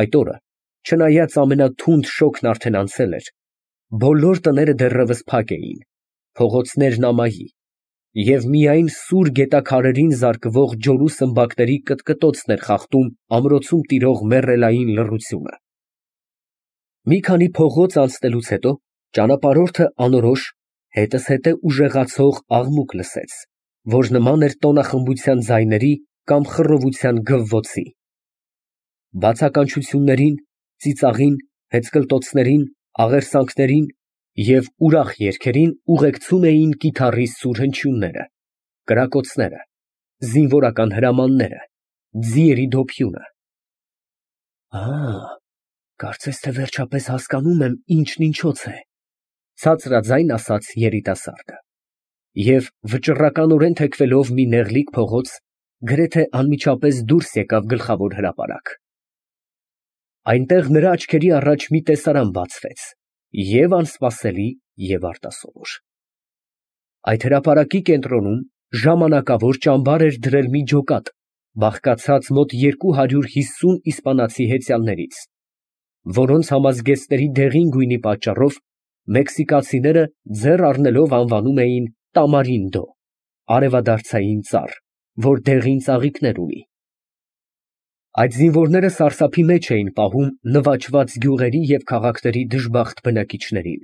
Այդ օրը, չնայած ամենաթունդ շոգն արդեն անցել էր, բոլոր տները դեռևս փակ էին, փողոցներն ամայի, և միայն սուր գետաքարերին զարկվող ջորու սմբակների կտկտոցն էր խախտում ամրոցում տիրող մեռելային լռությունը։ Մի քանի փողոց անցնելուց հետո ճանապարհորդը անորոշ, հետզհետե ուժեղացող աղմուկ լսեց, որ նման էր տոնախմբության ձայների կամ խռովության գվվոցի։ Բացականչություններին, ծիծաղին, հեծկլտոցներին, աղերսանքներին և ուրախ երգերին ուղեկցում էին կիթառի սուր հնչյունները, կրակոցները, զինվորական հրամանները, ձիերի դոփյունը։ Կարծես թե վերջապես հասկանում եմ ինչն ինչոց է, ցածրաձայն ասաց երիտասարդը, և վճռականորեն թեքվելով մի նեղլիկ փողոց, գրեթե անմիջապես դուրս եկավ գլխավոր հրապարակ։ Այնտեղ նրա աչքերի առաջ մի տեսարան բացվեց, և անսպասելի, և արտասովոր։ Այդ հրապարակի կենտրոնում ժամանակավոր ճամբար էր դրել մի ջոկատ, բաղկացած մոտ 250 իսպանացի հեծյալներից, որոնց համազգեստների դեղին գույնի պատճառով մեքսիկացիները ձեռ առնելով անվանում էին տամարինդո, արևադարձային ծառ, որ դեղին ծաղիկներ ունի։ Այդ զինվորները սարսափի մեջ էին պահում նվաճված գյուղերի և քաղաքների դժբախտ բնակիչներին։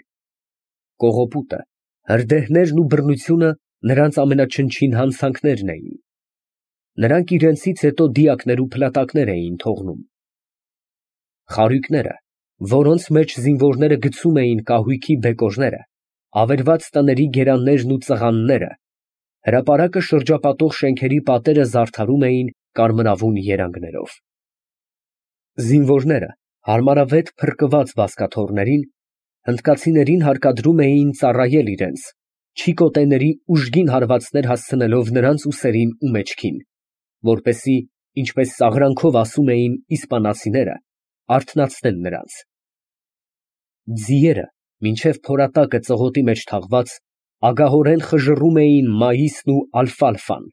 Կողոպուտը, հրդեհներն ու բռնությունը նրանց ամենաչնչին հանցանքներն էին։ Նրանք իրենցից հետո դիակներ ու փլատակներ էին թողնում։ Խարույկները, որոնց մեջ զինվորները գցում էին կահույքի բեկորները, ավերված տների գերաններն ու ծղանները, հրապարակը շրջապատող շենքերի պատերը զարդարում էին կարմրավուն երանգներով։ Զինվորները հարմարավետ փրկված բազկաթոռներին, հնդկացիներին հարկադրում էին ծառայել իրենց, չիկոտեների ուժգին հարվածներ հասցնելով նրանց ուսերին ու մեջքին, որպեսզի, ինչպես սաղրանքով ասում էին իսպանացիները, արթնացնել նրանց։ Ձիերը, մինչև փորատակը ծղոտի մեջ թաղված, ագահորեն խժռում էին մաիսն ու ալֆալֆան,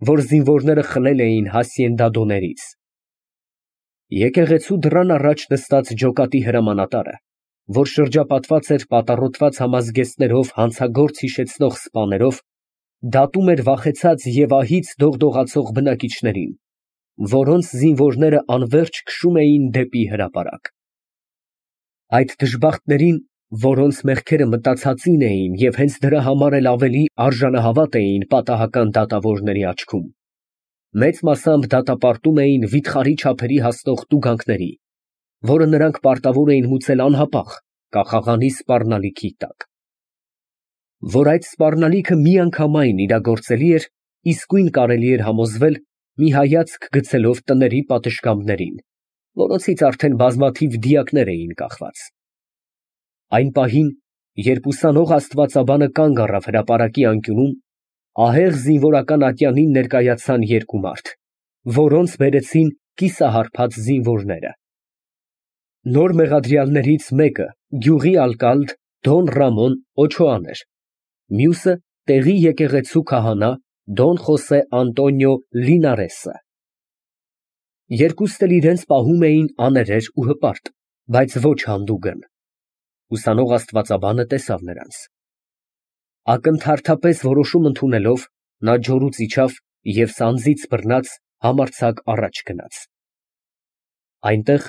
որ զինվորները խլել էին հասիենդադոներից։ Եկեղեցու դռան առաջ նստած ջոկատի հրամանատարը, որ շրջապատված էր պատառոտված համազգեստներով հանցագործ հիշեցնող սպաներով, դատում էր վախեցած և ահից դողդողացող բնակիչներին, որոնց զինվորները անվերջ քշում էին դեպի հրապարակ։ Այդ դժբախտներին, որոնց մեղքերը մտածածին էին և հենց դրա համար էլ ավելի արժանահավատ էին պատահական դատավորների աչքում, մեծ մասամբ դատապարտում էին վիթխարի չափերի հասնող տուգանքների, որը նրանք պարտավոր էին մուծել անհապաղ կախաղանի սպառնալիքի տակ։ Որ այդ սպառնալիքը միանգամայն իրագործելի էր, իսկույն կարելի էր համոզվել մի հայացք գցելով տների պատշգամբներին, որոնցից արդեն բազմաթիվ դիակներ էին կախված։ Այն պահին, երբ ուսանող աստվածաբանը կանգ առավ հրապարակի անկյունում, ահեղ զինվորական ատյանին ներկայացան երկու մարդ, որոնց բերեցին կիսահարբած զինվորները։ Նոր մեղադրյալներից մեկը գյուղի ալկալդ Դոն Ռամոն Օչոան էր, մյուսը տեղի եկեղեցու քահանա Դոն Խոսե Անտոնիո Լինարեսը։ Երկուստ էլ իրենց պահում էին աներեր ու հպարտ, բայց ոչ հանդուգն։ Ուսանող աստվածաբանը տեսավ նրանց։ Ակնթարթապես որոշում ընդունելով, նա ջորուց իջավ և սանձից բռնած համարձակ առաջ գնաց։ Այնտեղ,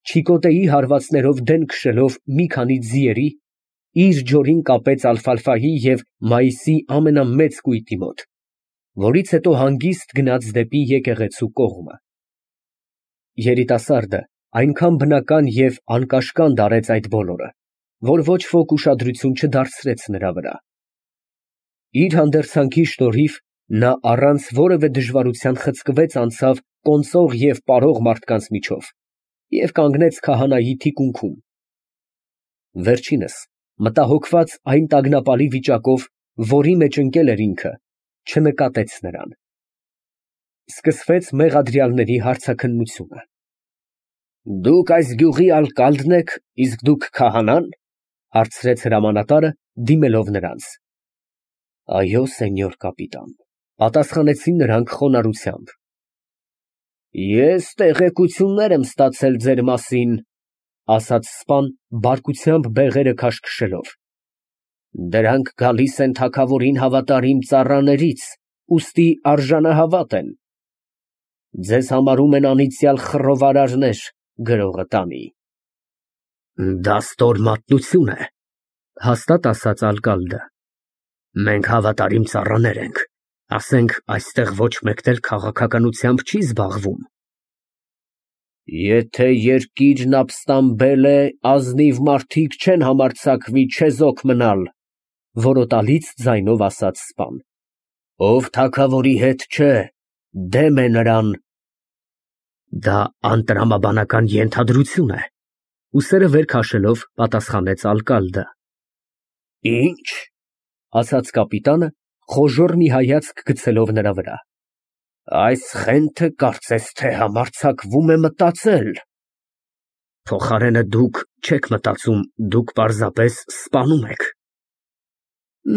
չիկոտեի հարվածներով դեն քշելով մի քանի ձիերի, իր ջորին կապեց ալֆալֆայի և մայիսի ամենամեծ կույտի մոտ, որից հետո հանգիստ գնաց դեպի եկեղեցու կողմը։ Երիտասարդը այնքան բնական և անկաշկանդ արեց այդ բոլորը, որ ոչ ոք ուշադրություն չդարձրեց նրա վրա։ Իր հանդերձանքի շնորհիվ նա առանց որևէ դժվարության խցկվեց անցավ կոնծող և պարող մարդկանց միջով և կանգնեց քահանայի թիկունքում։ Վերջինս, մտահոգված այն տագնապալի վիճակով, որի մեջ ընկել էր ինքը, չնկատեց նրան։ Սկսվեց մեղադրյալների հարցաքննությունը։ Դուք այս գյուղի ալկալդն եք, իսկ դուք քահանա՞ն, հարցրեց հրամանատարը, դիմելով նրանց։ Այո, սենյոր կապիտան, պատասխանեցին նրանք խոնարհությամբ։ Ես տեղեկություններ եմ ստացել ձեր մասին, ասաց սպան բարկությամբ բեղերը քաշքշելով։ Դրանք գալիս են թագավորին հավատարիմ ծառաներից, ուստի արժանահավատ են։ Ձեզ համարում են անիծյալ խռովարարներ, գրողը տանի։ Դա ստոր մատնություն է, հաստատ ասաց ալկալդը։ Մենք հավատարիմ ծառաներ ենք, ասենք այստեղ ոչ մեկն էլ քաղաքականությամբ չի զբաղվում։ Եթե երկիրն ապստամբել է, ազնիվ մարդիկ չեն համարձակվի չեզոք մնալ, որոտալից ձայնով ասաց սպան։ Ով թագավորի հետ չէ, դեմ է նրան։ Դա անտրամաբանական ենթադրություն է, ուսերը վեր քաշելով պատասխանեց ալկալդը։ Ինչ, ասաց կապիտանը, խոժոռ մի հայացք գցելով նրա վրա։ Այս խենթը կարծես թե համարձակվում է մտածել։ Փոխարենը դուք չեք մտածում, դուք պարզապես սպանում եք։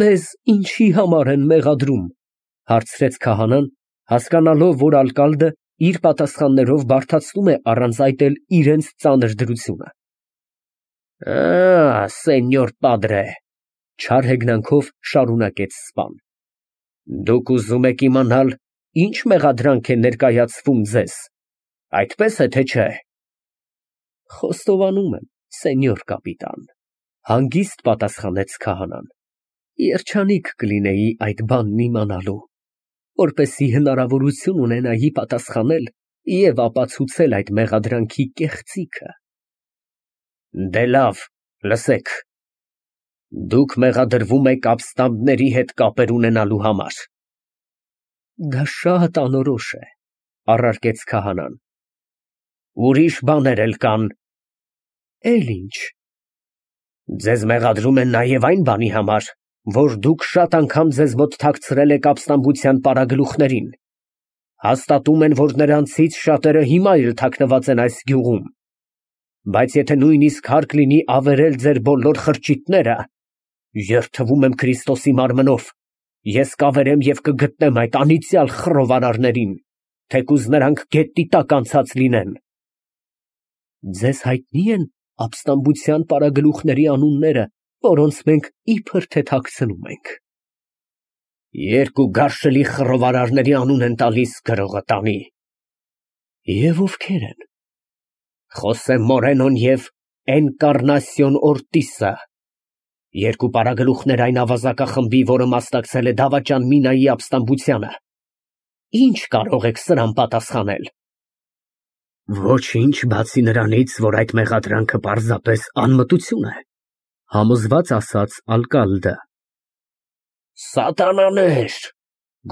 Մեզ ինչի համար են մեղադրում, հարցրեց քահանան, հասկանալով, որ ալկալդը իր պատասխաններով բարդացնում է առանց այդ էլ իրենց ծանր դրությունը։ Սենյոր падրե, չար հեգնանքով շարունակեց սպան։ Դուք ուզում եք իմանալ, ինչ մեղադրանք է ներկայացվում ձեզ, այդպես է թե չէ։ Խոստովանում եմ, սենյոր կապիտան, հանգիստ պատասխանեց քահանան։ Երջանիկ կլինեի այդ բանն իմանալու, որպեսզի հնարավորություն ունենայի պատասխանել և ապացուցել այդ մեղադրանքի կեղծիքը։ Դե լավ, լսեք։ Դուք մեղադրվում եք ապստամբների հետ կապեր ունենալու համար։ Դա շատ անորոշ է, առարկեց քահանան։ Ուրիշ բաներ էլ կան։ Էլ ինչ։ Ձեզ մեղադրում են նաև այն բանի համար, որ դուք շատ անգամ ձեզ մոտ թաքցրել եք ապստամբության պարագլուխներին։ Հաստատում են, որ նրանցից շատերը հիմա էլ թաքնված են այս գյուղում։ Բայց եթե նույնիսկ հարկ լինի ավերել ձեր բոլոր խրճիթները, երդվում եմ Քրիստոսի մարմնով, ես կավերեմ և կգտնեմ այդ անիծյալ խռովարարներին, թեկուզ նրանք գետնի տակ անցած լինեն։ Ձեզ հայտնի են ապստամբության պարագլուխների անունները, որոնց մենք իբր թե թաքցնում ենք։ Երկու գարշելի խռովարարների անուն են տալիս, գրողը տանի։ Եվ ովքեր են։ Խոսե Մորենոն և Էնկառնասիոն Օրտիսը, երկու պարագլուխներ այն ավազակախմբի, որը մասնակցել է դավաճան Մինայի ապստամբությանը։ Ինչ կարող եք սրան պատասխանել։ Ոչինչ, բացի նրանից, որ այդ մեղադրանքը պարզապես անմտություն է, համոզված ասաց ալկալդը։ Սատանաներ,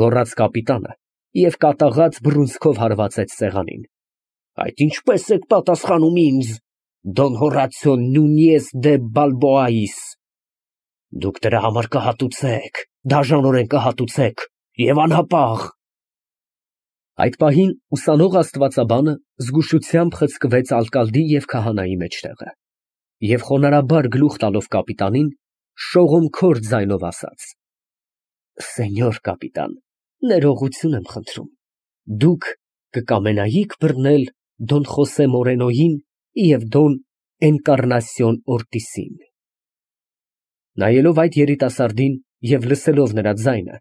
գոռաց կապիտանը և կատաղած բռունցքով հարվածեց սեղանին։ Այդ ինչպես եք պատասխանում ինձ, Դոն Հորացիո Նունիես դե Բալբոայիս։ Դուք դրա համար կհատուցեք, դաժանորեն կհատուցեք և անհապաղ։ Այդ պահին ուսանող աստվածաբանը զգուշությամբ խցկվեց ալկալդի և քահանայի մեջտեղը և խոնարհաբար գլուխ տալով կապիտանին, շողոմքոր ձայնով ասաց. Սենյոր կապիտան, ներողություն եմ խնդրում, դուք կկամենայիք բռնել Դոն Խոսե Մորենոյին և Դոն Էնկառնասիոն Օրտիսին։ Նայելով այդ երիտասարդին և լսելով նրա ձայնը,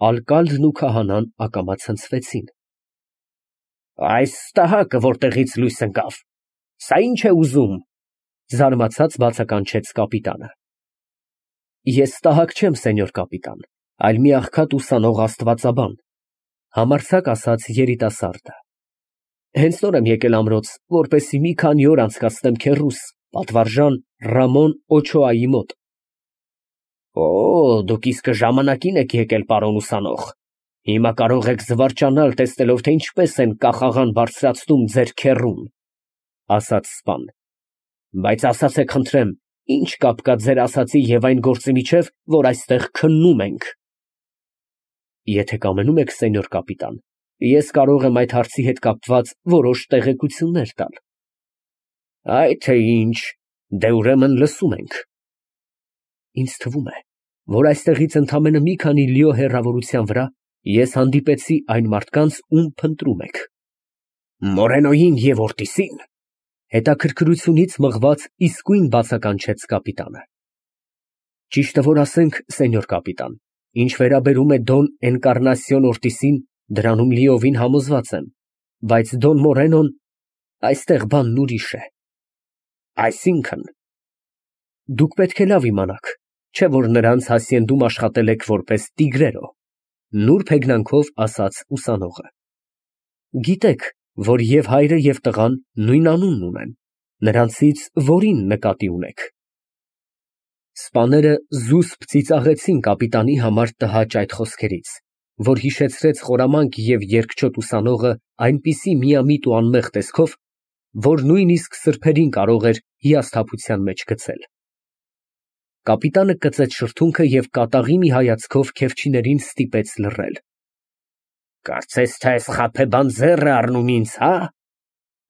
ալկալդն ու քահանան ակամա ցնցվեցին։ Այս ստահակը որտեղից լույս ընկավ, սա ինչ է ուզում, զարմացած բացականչեց կապիտանը։ Ես ստահակ չեմ, սենյոր կապիտան, այլ մի աղքատ ուսանող աստվածաբան, համարձակ ասաց երիտասարդը։ Հենց նոր եմ եկել ամրոց, որպեսզի մի քանի օր անցկացնեմ քեռուս, պատվարժան Ռամոն Օչոայի մոտ։ Օ, դուք իսկը ժամանակին եք եկել, պարոն ուսանող։ Հիմա կարող եք զվարճանալ, տեսնելով, թե ինչպես են կախաղան բարձրացնում ձեր քեռուն, ասաց սպան։ Բայց ասացեք խնդրեմ, ինչ կապ կա ձեր ասածի և այն գործի միջև, որ այստեղ քննում ենք։ Եթե կամենում եք, սենյոր կապիտան, ես կարող եմ այդ հարցի հետ կապված որոշ տեղեկություններ տալ։ Այդ թե ինչ, դե ուրեմն լսում ենք։ Ինձ թվում է, որ այստեղից ընդամենը մի քանի լիո հեռավորության վրա ես հանդիպեցի այն մարդկանց, ում փնտրում եք։ Մորենոյին և Օրտիսին։ Հետաքրքրությունից մղված իսկույն բացականչեց կապիտանը։ Ճիշտը որ ասենք, սենյոր կապիտան, ինչ վերաբերում է Դոն Էնկառնասիոն Օրտիսին, դրանում լիովին համոզված եմ, բայց Դոն Մորենոն, այստեղ բանն ուրիշ է։ Այսինքն… Դուք պետք է լավ իմանաք, չէ՞ որ նրանց հասցենդում աշխատել եք որպես տիգրերո, նուրբ հեգնանքով ասաց ուսանողը։ Գիտեք, որ և հայրը և տղան նույն անունն ունեն, նրանցից որին նկատի ունեք։ Սպաները զուսպ ծիծաղեցին կապիտանի համար տհաճ այդ խոսքերից, որ հիշեցրեց խորամանկ և երկչոտ ուսանողը այնպիսի միամիտ ու անմեղ տեսքով, որ նույնիսկ սրբերին կարող էր հիասթափության մեջ գցել։ Կապիտանը կծեց շրթունքը և կատաղի մի հայացքով քեֆչիներին ստիպեց լռել։ Կարծես թե այս խաբեբան ձեռ է առնում ինձ, հա՞։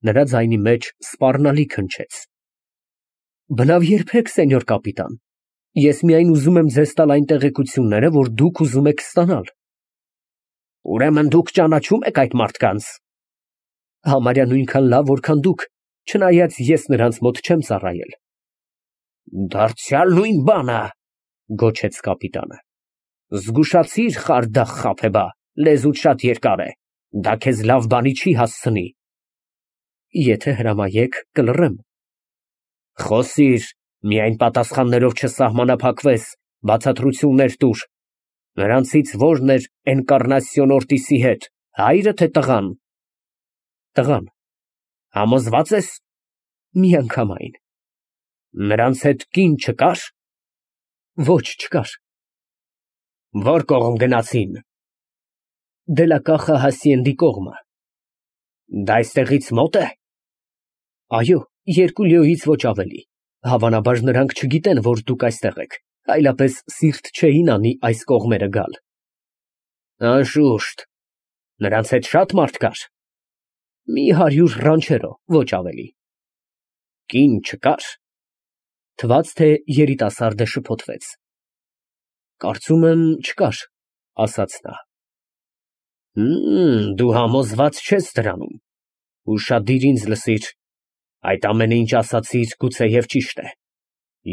Նրա ձայնի մեջ սպառնալիք հնչեց։ Բնավ երբեք, սենյոր կապիտան, ես միայն ուզում եմ ձեզ տալ այն տեղեկությունները, որ դուք ուզում եք ստանալ։ Ուրեմն դուք ճանաչում եք այդ մարդկանց։ Համարյա նույնքան լավ, որքան դուք, չնայած ես նրանց մոտ չեմ ծառայել։ Դարձյալ նույն բանը, գոչեց կապիտանը։ Զգուշացիր, խարդախ խաբեբա, լեզուդ շատ երկար է, դա քեզ լավ բանի չի հասցնի։ Եթե հրամայեք, կլռեմ։ Խոսիր, միայն պատասխաններով չսահմանափակվես, բացատրություններ տուր։ Նրանցից ո՞րն էր Էնկառնասիոն Օրտիսի հետ, հայրը թե տղան։ Տղան։ Համոզվա՞ծ ես։ Միանգամայն։ Նրանց հետ կին չկա՞ր։ Ոչ, չկար։ Ո՞ր կողմ գնացին։ Դելակախը Հասիենդի կողմը։ Դա այստեղից մո՞տ է։ Այո, 2 լիոյից ոչ ավելի։ Հավանաբար նրանք չգիտեն, որ դուք այստեղ եք, այլապես սիրտ չէին անի այս կողմերը գալ։ Անշուշտ։ Նրանց հետ շատ մարդ կար։ Մի 100 ռանչերո, ոչ ավելի։ Կին չկա՞ր։ Թվաց, թե երիտասարդը շփոթվեց։ Կարծում եմ, չկար, ասաց նա։ Դու համոզված չես դրանում։ Ուշադիր ինձ լսիր։ Այդ ամենը, ինչ ասացիր, գուցեև ճիշտ է։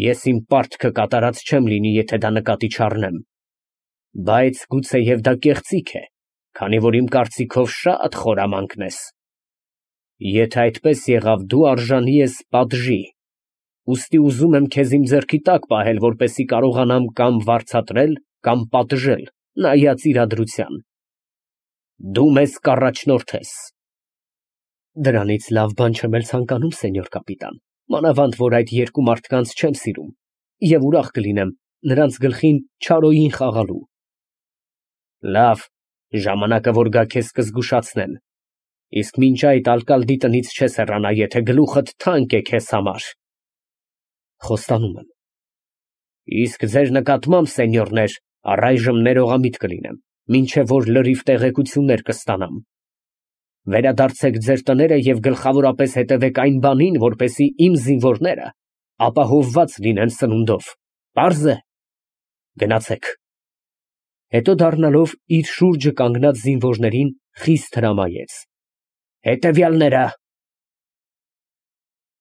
Ես իմ պարտքը կատարած չեմ լինի, եթե դա նկատի չառնեմ։ Բայց գուցեև դա կեղծիք է, քանի որ իմ կարծիքով շատ խորամանկն ես։ Եթե այդպես եղավ, դու արժանի ես պատժի։ Ուստի ուզում եմ քեզ իմ ձեռքի տակ պահել, որպեսզի կարողանամ կամ վարձատրել, կամ պատժել, նայած իրադրության։ Դու մեզ կառաջնորդես։ Դրանից լավ բան չեմ էլ ցանկանում, սենյոր կապիտան, մանավանդ որ այդ 2 մարդկանց չեմ սիրում, և ուրախ կլինեմ նրանց գլխին չարոյին խաղալու։ Լավ, ժամանակը որ գա քեզ կզգուշացնեն։ Իսկ մինչ այդ ալկալդի տնից չես հեռանա, եթե գլուխդ թանկ է քեզ համար։ Խոստանում եմ։ Իսկ ձեր նկատմամբ, սենյորներ, առայժմ ներողամիտ կլինեմ, մինչև որ լրիվ տեղեկություններ կստանամ։ Վերադարձեք ձեր տները և գլխավորապես հետևեք այն բանին, որպեսզի իմ զինվորները ապահովված լինեն սնունդով։ Պարզ է։ Գնացեք։ Հետո դառնալով իր շուրջը կանգնած զինվորներին խիստ հրամայեց. Հետևյալները